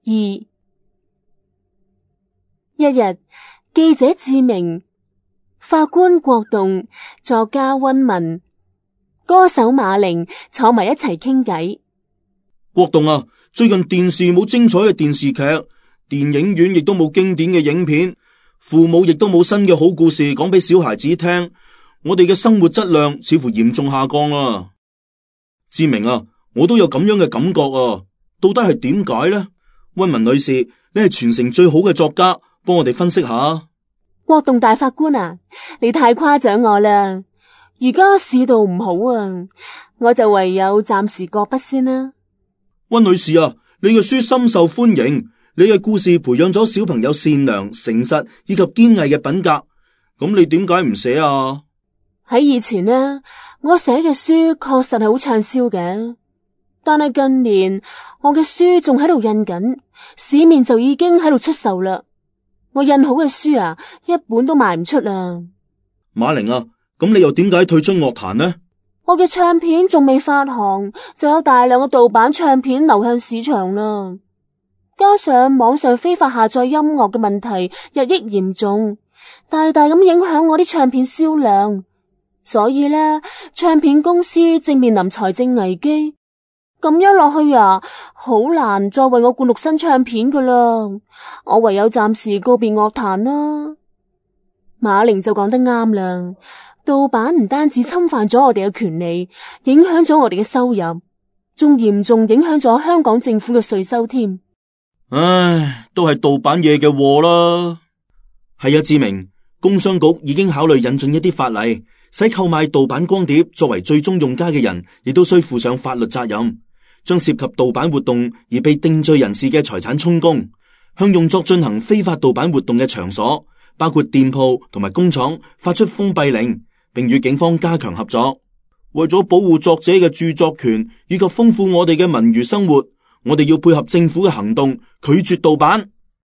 2。一日，記者志明、法官郭棟、作家溫文、歌手馬玲坐埋一齊傾偈。郭棟啊，最近電視冇精彩嘅電視劇，電影院亦都冇經典嘅影片，父母亦都冇新嘅好故事講俾小孩子聽，我哋嘅生活質量似乎嚴重下降啊。志明啊，我都有咁樣嘅感覺啊，到底係點解呢？溫文女士，你係全城最好嘅作家，幫我哋分析下。郭棟大法官啊，你太誇獎我啦！而家市道唔好啊，我就唯有暫時擱筆先啦。溫女士啊，你嘅書深受歡迎，你嘅故事培養咗小朋友善良、誠實以及堅毅嘅品格，咁你點解唔寫啊？喺以前呢，我寫嘅書確實係好暢銷嘅，但係近年我嘅書仲喺度印緊，市面就已經喺度出售啦。我印好嘅書啊，一本都賣唔出啦。馬玲啊，咁你又點解退出樂壇呢？我嘅唱片仲未發行，就有大量嘅盜版唱片流向市場啦。加上網上非法下載音樂嘅問題日益嚴重，大大咁影響我啲唱片銷量。所以呢，唱片公司正面臨財政危機，咁樣落去啊，好難再為我灌錄新唱片噶啦。我唯有暫時告別樂壇啦。馬玲就講得啱啦，盜版唔單止侵犯咗我哋嘅權利，影響咗我哋嘅收入，仲嚴重影響咗香港政府嘅稅收添。唉，都係盜版嘢嘅禍啦。係啊，志明，工商局已經考慮引進一啲法例，使購買盜版光碟作為最終用家嘅人，亦都需負上法律責任，將涉及盜版活動而被定罪人士嘅財產充公，向用作進行非法盜版活動嘅場所，包括店鋪同埋工廠，發出封閉令，並與警方加強合作。為咗保護作者嘅著作權以及豐富我哋嘅文娛生活，我哋要配合政府嘅行動，拒絕盜版。